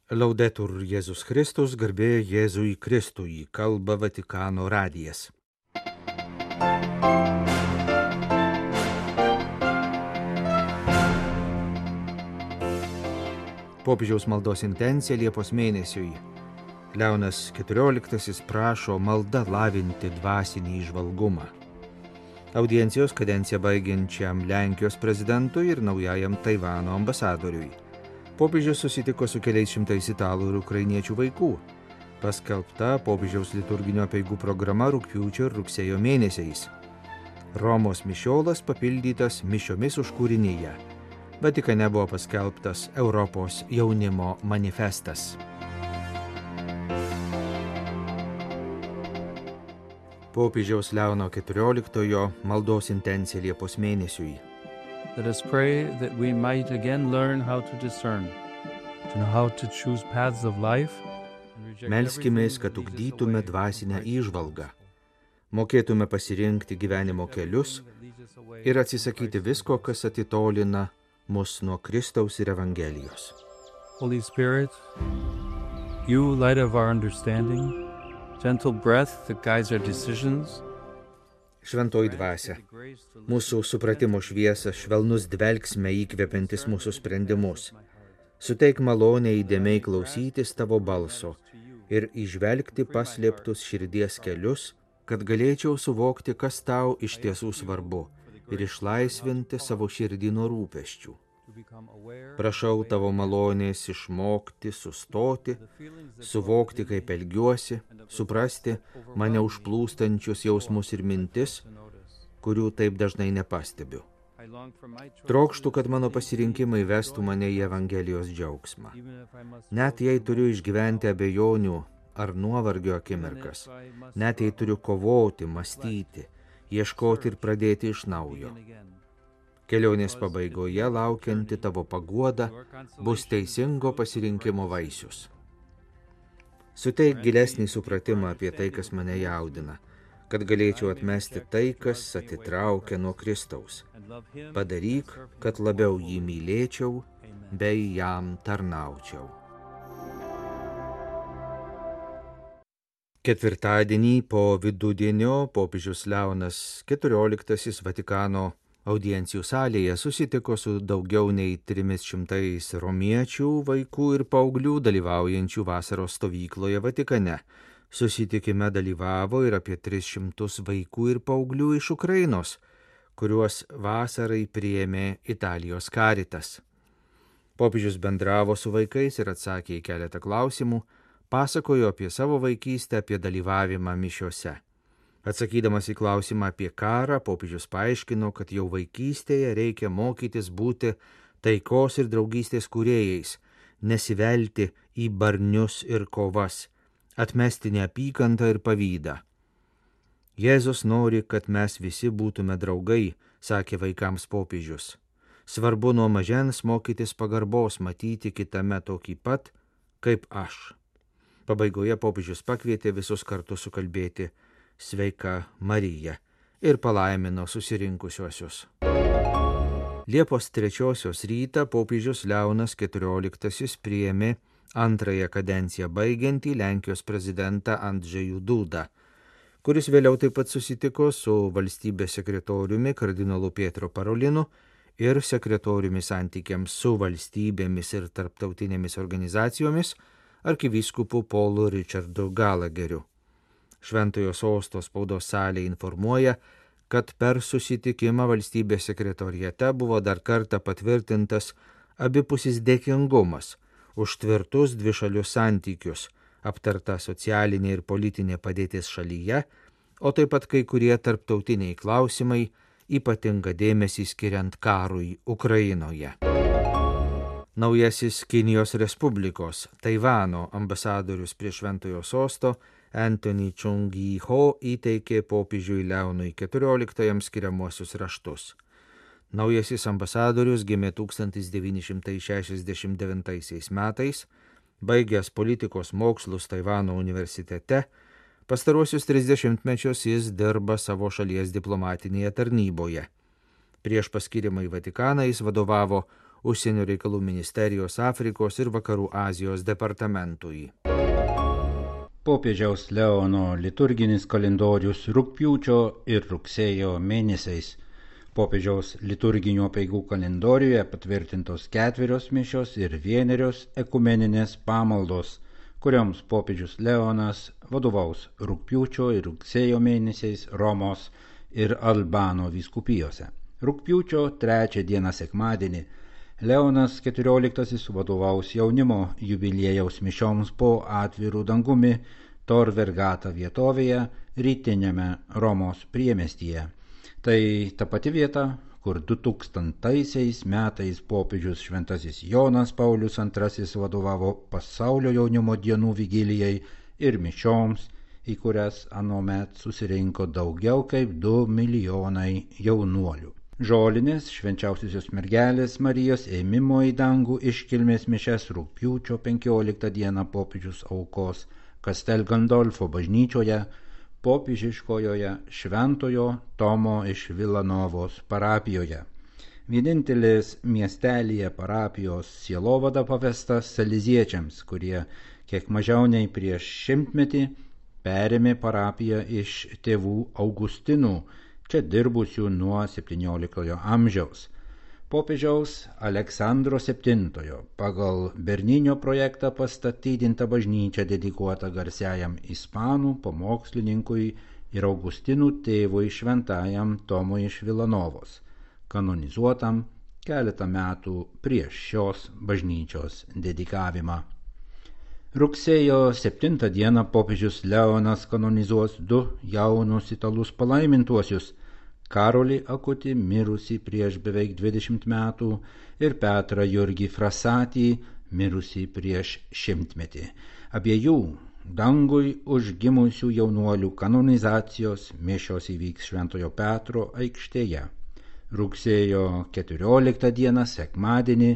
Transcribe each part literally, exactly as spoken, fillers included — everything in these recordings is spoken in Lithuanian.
Laudetur Jėzus Kristus, garbė Jėzui Kristui, kalba Vatikano radijas. Popiežiaus maldos intencija Liepos mėnesiui. Leonas keturioliktasis prašo malda lavinti dvasinį įžvalgumą. Audiencijos kadenciją baigiančiam Lenkijos prezidentui ir naujajam Taivano ambasadoriui. Popiežius susitiko su keliais šimtais italų ir ukrainiečių vaikų. Paskelbta popiežiaus liturginio apeigų programa rugpjūčio ir rugsėjo mėnesiais. Romos mišiolas papildytas mišiomis užkūrinyje. Vatikane buvo paskelbtas Europos jaunimo manifestas. Popiežiaus Leono keturioliktojo maldos intencija Liepos mėnesiui. Let us pray that we might again learn how to discern, to know how to choose paths of life. Melskimės, kad ugdytume dvasinę įžvalgą, mokėtume pasirinkti gyvenimo kelius ir atsisakyti visko, kas atitolina mus nuo Kristaus ir Evangelijos. Holy Spirit, you light of our understanding, gentle breath that guides our decisions. Šventoji dvasia, mūsų supratimo šviesa, švelnus dvelksme įkvepiantis mūsų sprendimus. Suteik malonę įdėmiai klausytis tavo balso ir įžvelgti paslėptus širdies kelius, kad galėčiau suvokti, kas tau iš tiesų svarbu ir išlaisvinti savo širdį nuo rūpesčių. Prašau tavo malonės išmokti, sustoti, suvokti, kaip elgiuosi, suprasti mane užplūstančius jausmus ir mintis, kurių taip dažnai nepastebiu. Trokštu, kad mano pasirinkimai vestų mane į Evangelijos džiaugsmą. Net jei turiu išgyventi abejonių ar nuovargio akimirkas, net jei turiu kovoti, mąstyti, ieškoti ir pradėti iš naujo. Kelionės pabaigoje laukianti tavo paguoda bus teisingo pasirinkimo vaisius. Suteik gilesnį supratimą apie tai, kas mane jaudina, kad galėčiau atmesti tai, kas atitraukia nuo Kristaus. Padaryk, kad labiau jį mylėčiau, bei jam tarnaučiau. Ketvirtadienį po vidudienio popiežius Leonas keturioliktasis Vatikano audiencijų salėje susitiko su daugiau nei trimis šimtais romiečių, vaikų ir paauglių dalyvaujančių vasaros stovykloje Vatikane. Susitikime dalyvavo ir apie tris šimtus vaikų ir paauglių iš Ukrainos, kuriuos vasarai priėmė Italijos Caritas. Popiežius bendravo su vaikais ir atsakė į keletą klausimų, pasakojo apie savo vaikystę, apie dalyvavimą mišiose. Atsakydamas į klausimą apie karą, popiežius paaiškino, kad jau vaikystėje reikia mokytis būti taikos ir draugystės kūrėjais, nesivelti į barnius ir kovas, atmesti neapykantą ir pavydą. Jėzus nori, kad mes visi būtume draugai, sakė vaikams popiežius. Svarbu nuo mažens mokytis pagarbos, matyti kitame tokį pat, kaip aš. Pabaigoje popiežius pakvietė visus kartu sukalbėti Sveika Marija ir palaimino susirinkusiuosius. Liepos trečiosios rytą popiežius Leonas keturioliktasis priėmė antrąją kadenciją baigiantį Lenkijos prezidentą Andžejų Dudą, kuris vėliau taip pat susitiko su valstybės sekretoriumi kardinolu Pietro Parolinu ir sekretoriumi santykiams su valstybėmis ir tarptautinėmis organizacijomis arkivyskupu Paulu Richardu Gallagheriu. Šventojo sosto spaudos salė informuoja, kad per susitikimą valstybės sekretoriate buvo dar kartą patvirtintas abipusis dėkingumas už tvirtus dvišalius santykius, aptarta socialinė ir politinė padėtis šalyje, o taip pat kai kurie tarptautiniai klausimai, ypatingą dėmesį skiriant karui Ukrainoje. Naujasis Kinijos Respublikos Taivano ambasadorius prie Šventojo sosto Anthony Chung-Gi-Ho įteikė popiežiui Leonui keturioliktajam skiriamuosius raštus. Naujasis ambasadorius gimė tūkstantis devyni šimtai šešiasdešimt devintaisiais metais, baigęs politikos mokslus Taivano universitete, pastaruosius trisdešimtmečius jis dirba savo šalies diplomatinėje tarnyboje. Prieš paskirimą į Vatikaną jis vadovavo Užsienio reikalų ministerijos Afrikos ir Vakarų Azijos departamentui. Popiežiaus Leono liturginis kalendorius rugpjūčio ir rugsėjo mėnesiais. Popiežiaus liturginių apeigų kalendoriuje patvirtintos ketverios mišios ir vienerios ekumeninės pamaldos, kurioms popiežius Leonas vadovaus rugpjūčio ir rugsėjo mėnesiais Romos ir Albano vyskupijose. Rugpjūčio trečią dieną sekmadienį Leonas keturioliktasis vadovaus jaunimo jubiliejaus mišioms po atvirų dangumi Tor Vergata vietovėje rytiniame Romos priemestyje. Tai ta pati vieta, kur du tūkstantaisiais metais popiežius šventasis Jonas Paulius antrasis vadovavo pasaulio jaunimo dienų vigilijai ir mišioms, į kurias anuomet susirinko daugiau kaip du milijonai jaunuolių. Žolinės švenčiausiosios mergelės Marijos ėmimo į dangų iškilmės mišias rugpjūčio penkioliktą dieną popiežius aukos Castel Gandolfo bažnyčioje, popiežiškojoje Šventojo Tomo iš Vilanovos parapijoje. Vienintelės miestelyje parapijos sielovada pavesta saleziečiams, kurie kiek mažiau nei prieš šimtmetį perėmė parapiją iš tėvų Augustinų, čia dirbusių nuo septynioliktojo amžiaus. Popiežiaus Aleksandro septintojo pagal Berninio projektą pastatydinta bažnyčia dedikuota garsiajam ispanų pamokslininkui ir Augustinų tėvui šventajam Tomui iš Vilanovos, kanonizuotam keletą metų prieš šios bažnyčios dedikavimą. Rugsėjo septintą dieną popiežius Leonas kanonizuos du jaunus italus palaimintuosius: Karolį Akutį, mirusį prieš beveik dvidešimt metų, ir Petrą Jurgį Frasatį, mirusį prieš šimtmetį. Abiejų dangui užgimusių jaunuolių kanonizacijos mišios įvyks Šventojo Petro aikštėje. Rugsėjo keturioliktą dieną sekmadienį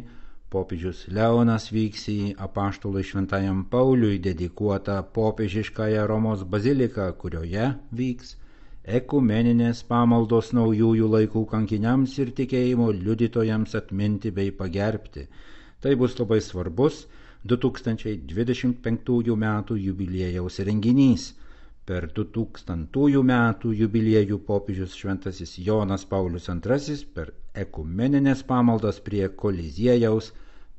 popiežius Leonas vyks į apaštalui šventajam Pauliui dedikuotą popiežiškąją Romos baziliką, kurioje vyks ekumeninės pamaldos naujųjų laikų kankiniams ir tikėjimo liudytojams atminti bei pagerbti. Tai bus labai svarbus du tūkstančiai dvidešimt penktųjų metų jubiliejaus renginys. Per du tūkstantųjų metų jubiliejų popiežius šventasis Jonas Paulius antrasis per ekumeninės pamaldas prie Koliziejaus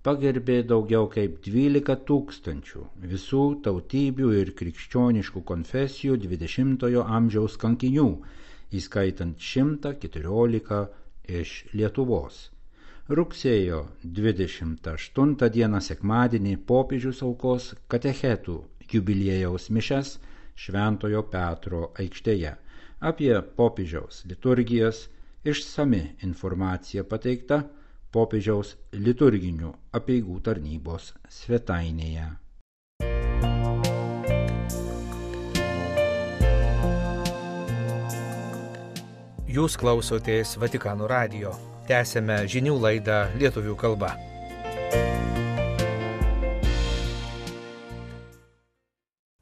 pagerbė daugiau kaip dvylika tūkstančių visų tautybių ir krikščioniškų konfesijų dvidešimtojo amžiaus kankinių, įskaitant šimtą keturiolika iš Lietuvos. Rugsėjo dvidešimt aštuntą dieną sekmadienį popiežius aukos katechetų jubiliejaus mišias Šventojo Petro aikštėje. Apie popiežiaus liturgijas išsami informacija pateikta popiežiaus liturginių apeigų tarnybos svetainėje. Jūs klausotės Vatikano radijo. Tęsėme žinių laidą lietuvių kalba.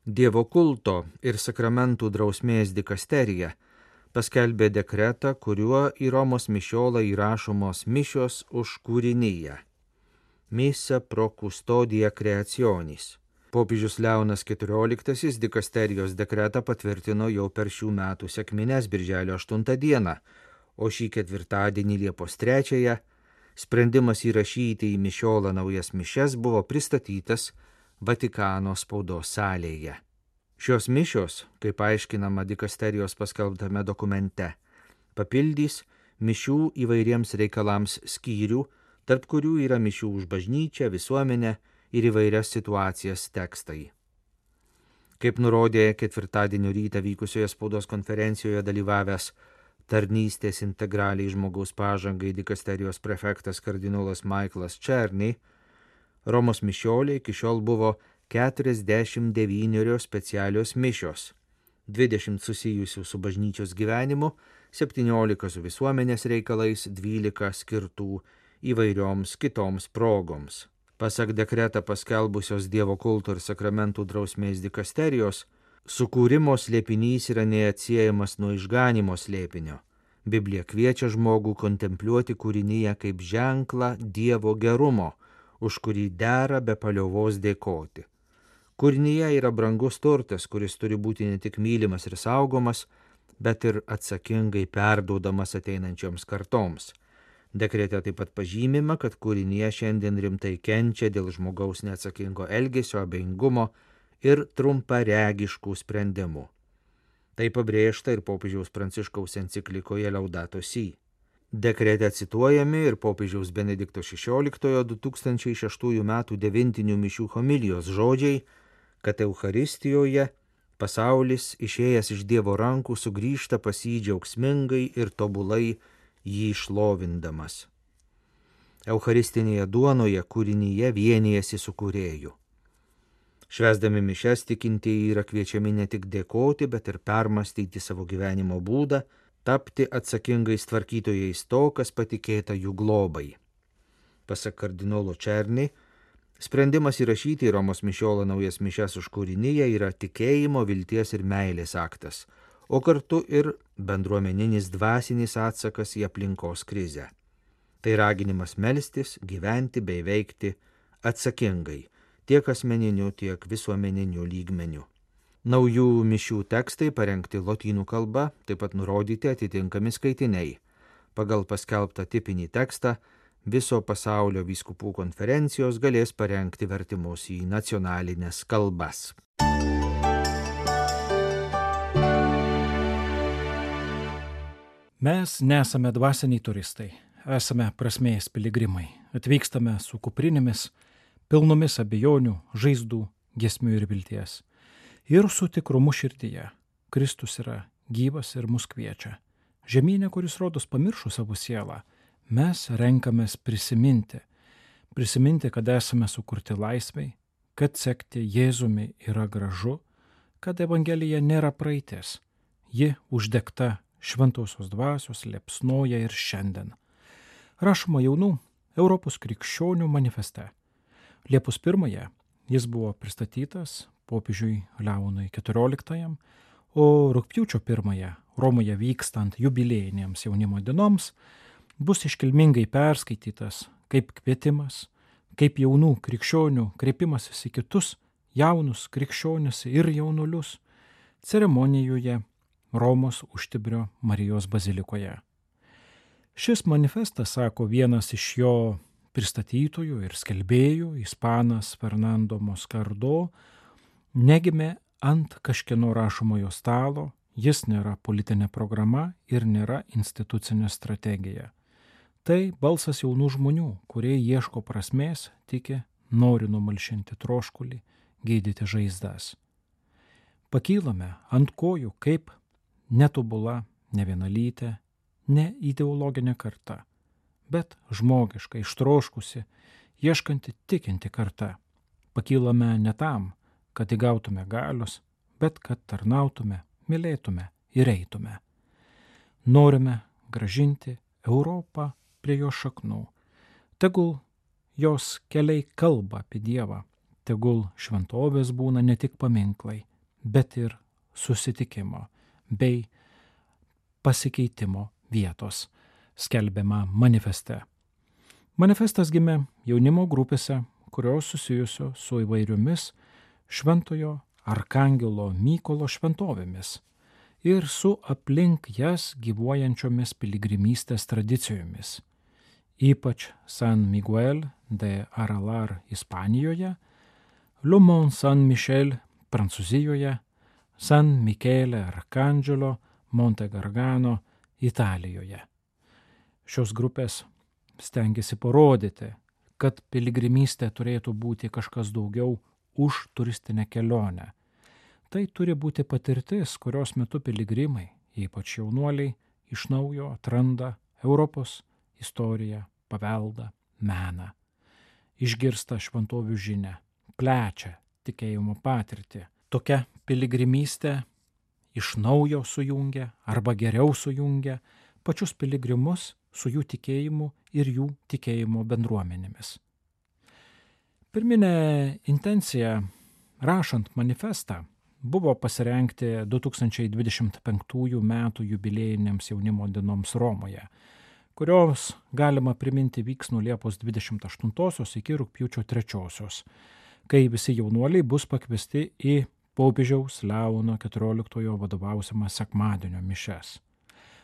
Dievo kulto ir sakramentų drausmės dikasterija paskelbė dekretą, kuriuo į Romos mišiolą įrašomos mišios už kūriniją. Missa pro custodia creationis. Popiežius Leonas keturioliktasis dikasterijos dekretą patvirtino jau per šių metų sekmines birželio aštuntą dieną, o šį ketvirtadienį Liepos trečiąją sprendimas įrašyti į mišiolą naujas mišias buvo pristatytas Vatikano spaudos salėje. Šios mišios, kaip aiškinama dikasterijos paskelbtame dokumente, papildys mišių įvairiems reikalams skyrių, tarp kurių yra mišių už bažnyčią, visuomenę ir įvairias situacijas tekstai. Kaip nurodė ketvirtadienio rytą vykusioje spaudos konferencijoje dalyvavęs tarnystės integraliai žmogaus pažangai dikasterijos prefektas kardinolas Michaelas Černy, Romos mišiolė iki šiol buvo keturiasdešimt devynios specialios mišios, dvidešimt susijusių su bažnyčios gyvenimu, septyniolika su visuomenės reikalais, dvylika skirtų įvairioms kitoms progoms. Pasak dekretą paskelbusios Dievo kulto ir sakramentų drausmės dikasterijos, sukūrimo slėpinys yra neatsiejamas nuo išganimo slėpinio. Biblija kviečia žmogų kontempliuoti kūrinyje kaip ženklą Dievo gerumo, už kurį dera be paliovos dėkoti. Kūrinyje yra brangus turtas, kuris turi būti ne tik mylimas ir saugomas, bet ir atsakingai perduodamas ateinančioms kartoms. Dekrete taip pat pažymima, kad kūrinyje šiandien rimtai kenčia dėl žmogaus neatsakingo elgesio, abejingumo ir trumparegiškų sprendimų. Tai pabrėžta ir popiežiaus Pranciškaus enciklikoje Laudato Si. Dekrete cituojami ir popiežiaus Benedikto šešioliktojo du tūkstančiai šeštųjų metų devintinių mišių homilijos žodžiai, kad Eucharistijoje pasaulis išėjęs iš Dievo rankų sugrįžta pas jį džiaugsmingai ir tobulai jį šlovindamas. Eucharistinėje duonoje kūrinyje vienijasi su kūrėju. Švęsdami mišias tikintieji yra kviečiami ne tik dėkoti, bet ir permastyti savo gyvenimo būdą, tapti atsakingais tvarkytojais to, kas patikėta jų globai. Pasak kardinolo Černy, sprendimas įrašyti į Romos mišiolą naujas mišias už kūrinyje yra tikėjimo, vilties ir meilės aktas, o kartu ir bendruomeninis dvasinis atsakas į aplinkos krizę. Tai raginimas melstis, gyventi bei veikti atsakingai, tiek asmeniniu, tiek visuomeniniu lygmeniu. Naujų mišių tekstai parengti lotynų kalba, taip pat nurodyti atitinkami skaitiniai. Pagal paskelbtą tipinį tekstą viso pasaulio vyskupų konferencijos galės parengti vertimus į nacionalines kalbas. Mes nesame dvasiniai turistai, esame prasmės piligrimai. Atvykstame su kuprinėmis, pilnomis abejonių, žaizdų, giesmių ir vilties. Ir su tikrumu širdyje. Kristus yra gyvas ir mus kviečia. Žemynė, kuris rodos pamiršo savo sielą, mes renkamės prisiminti. Prisiminti, kad esame sukurti laisvai, kad sekti Jėzumi yra gražu, kad Evangelija nėra praeitis. Ji uždegta šventosios dvasios liepsnoja ir šiandien. Rašoma jaunų Europos krikščionių manifeste. Liepos pirmąją jis buvo pristatytas popiežiui Leonui keturioliktajam, o rugpjūčio pirmąją Romoje vykstant jubiliejinėms jaunimo dienoms bus iškilmingai perskaitytas kaip kvietimas, kaip jaunų krikščionių kreipimasis į kitus jaunus krikščionis ir jaunulius ceremonijoje Romos Užtibrio Marijos bazilikoje. Šis manifestas, sako vienas iš jo pristatytojų ir skelbėjų, ispanas Fernando Moscardo, negimė ant kažkieno rašomojo stalo, jis nėra politinė programa ir nėra institucinė strategija. Tai balsas jaunų žmonių, kurie ieško prasmės, tiki, nori numalšinti troškulį, gydyti žaizdas. Pakylame ant kojų kaip netobula, nevienalytė, ne ideologinė karta, bet žmogiška, ištroškusi, ieškanti tikinti karta. Pakylame ne tam, kad įgautume galios, bet kad tarnautume, mylėtume ir eitume. Norime grąžinti Europą prie jo šaknų. Tegul jos keliai kalba apie Dievą, tegul šventovės būna ne tik paminklai, bet ir susitikimo bei pasikeitimo vietos, skelbiama manifeste. Manifestas gimė jaunimo grupėse, kurios susijusios su įvairiomis šventojo arkangelo Mykolo šventovėmis ir su aplink jas gyvuojančiomis piligrimystės tradicijomis, ypač San Miguel de Aralar Ispanijoje, Le Mont Saint-Michel Prancūzijoje, San Michele Arcangelo Monte Gargano Italijoje. Šios grupės stengiasi parodyti, kad piligrimystė turėtų būti kažkas daugiau už turistinę kelionę. Tai turi būti patirtis, kurios metu piligrimai, ypač jaunuoliai, iš naujo atranda Europos istoriją, paveldą, meną. Išgirsta šventovių žinią, plečia tikėjimo patirtį. Tokia piligrimystė iš naujo sujungia arba geriau sujungia pačius piligrimus su jų tikėjimu ir jų tikėjimo bendruomenėmis. Pirminė intencija, rašant manifestą, buvo pasirengti du tūkstančiai dvidešimt penktųjų metų jubiliejinėms jaunimo dienoms Romoje, kurios, galima priminti, vyks nuo Liepos dvidešimt aštuntosios iki rugpjūčio trečiosios, kai visi jaunuoliai bus pakviesti į popiežiaus Leono keturioliktojo vadovausiamą sekmadienio mišias.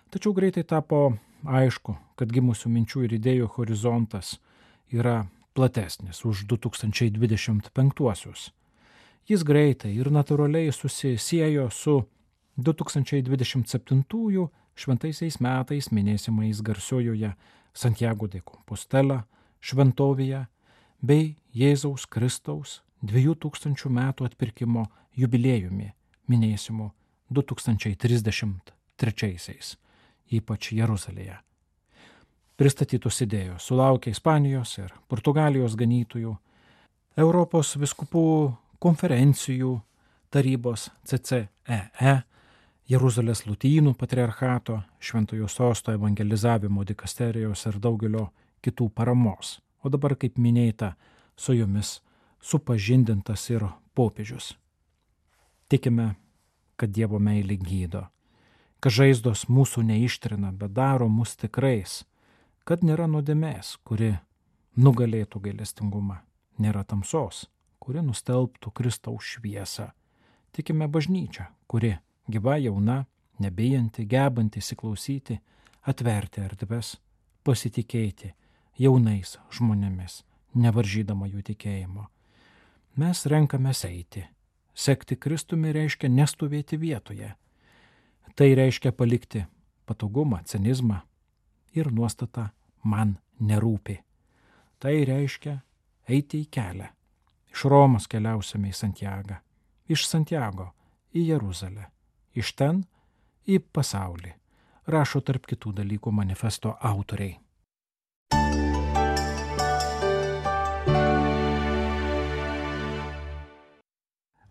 Tačiau greitai tapo aišku, kad gimusių minčių ir idėjų horizontas yra platesnis už du tūkstančiai dvidešimt penktuosius. Jis greitai ir natūraliai susisiejo su du tūkstančiai dvidešimt septintųjų šventaisiais metais minėsimais garsiojoje Santiago de Compostela šventovėje bei Jėzaus Kristaus dviejų tūkstančių metų atpirkimo jubiliejumi minėsimu du tūkstančiai trisdešimt trečiaisiais, ypač Jeruzalėje. Pristatytos idėjos sulaukė Ispanijos ir Portugalijos ganytojų, Europos vyskupų konferencijų tarybos C C E E, Jeruzalės Lotynų patriarchato, Šventojo Sosto evangelizavimo dikasterijos ir daugelio kitų paramos. O dabar, kaip minėta, su jomis supažindintas ir popiežius. Tikime, kad Dievo meilė gydo, kad žaizdos mūsų neištrina, bet daro mus tikrais, kad nėra nuodėmės, kuri nugalėtų gailestingumą, nėra tamsos, kuri nustelbtų Kristaus šviesą. Tikime bažnyčią, kuri gyva, jauna, nebijanti, gebanti įsiklausyti, atverti erdves, pasitikėti jaunais žmonėmis, nevaržydama jų tikėjimo. Mes renkamės eiti. Sekti Kristumi reiškia nestovėti vietoje. Tai reiškia palikti patogumą, cinizmą ir nuostatą man nerūpi. Tai reiškia eiti į kelią. Iš Romos keliausime į Santiagą, iš Santiago į Jeruzalę, iš ten į pasaulį, rašo tarp kitų dalykų manifesto autoriai.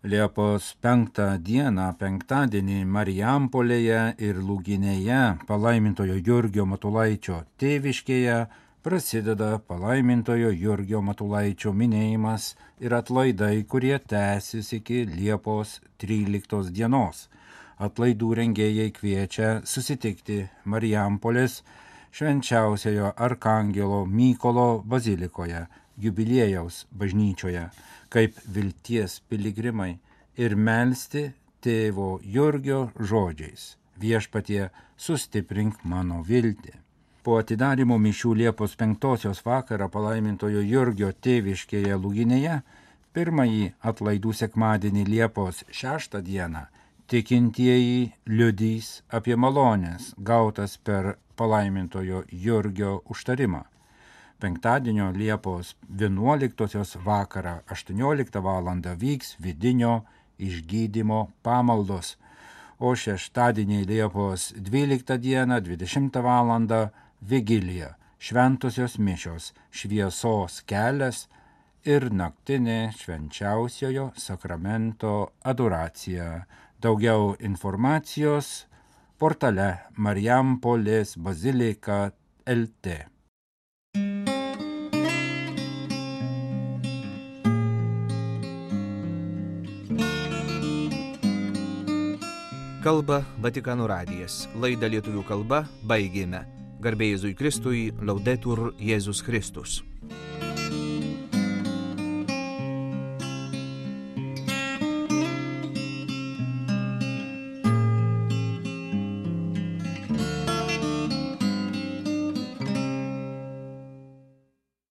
Liepos penktą dieną, penktadienį Marijampolėje ir Lūginėje, palaimintojo Jurgio Matulaičio tėviškėje, prasideda palaimintojo Jurgio Matulaičio minėjimas ir atlaidai, kurie tęsis iki Liepos tryliktos dienos. Atlaidų rengėjai kviečia susitikti Marijampolės švenčiausiojo arkangelo Mykolo bazilikoje, jubiliejaus bažnyčioje, kaip vilties piligrimai ir melsti tėvo Jurgio žodžiais: Viešpatie, sustiprink mano viltį. Po atidarymo mišių Liepos penktosios vakarą palaimintojo Jurgio tėviškėje Lūginėje, pirmąjį atlaidų sekmadienį Liepos šeštą dieną, tikintieji liudys apie malones gautas per palaimintojo Jurgio užtarimą. Penktadienio Liepos vienuoliktosios vakarą aštuonioliktą valandą vyks vidinio išgydymo pamaldos, o šeštadienį Liepos dvyliktą dieną dvidešimtą valandą vigilija, šventosios mišios, šviesos kelias ir naktinė švenčiausiojo sakramento adoracija. Daugiau informacijos portale Marijampolės bazilika L T. Kalba Vatikano radijas. Laidą lietuvių kalba baigėme. Garbė Jėzui Kristui, Laudetur Jėzus Kristus.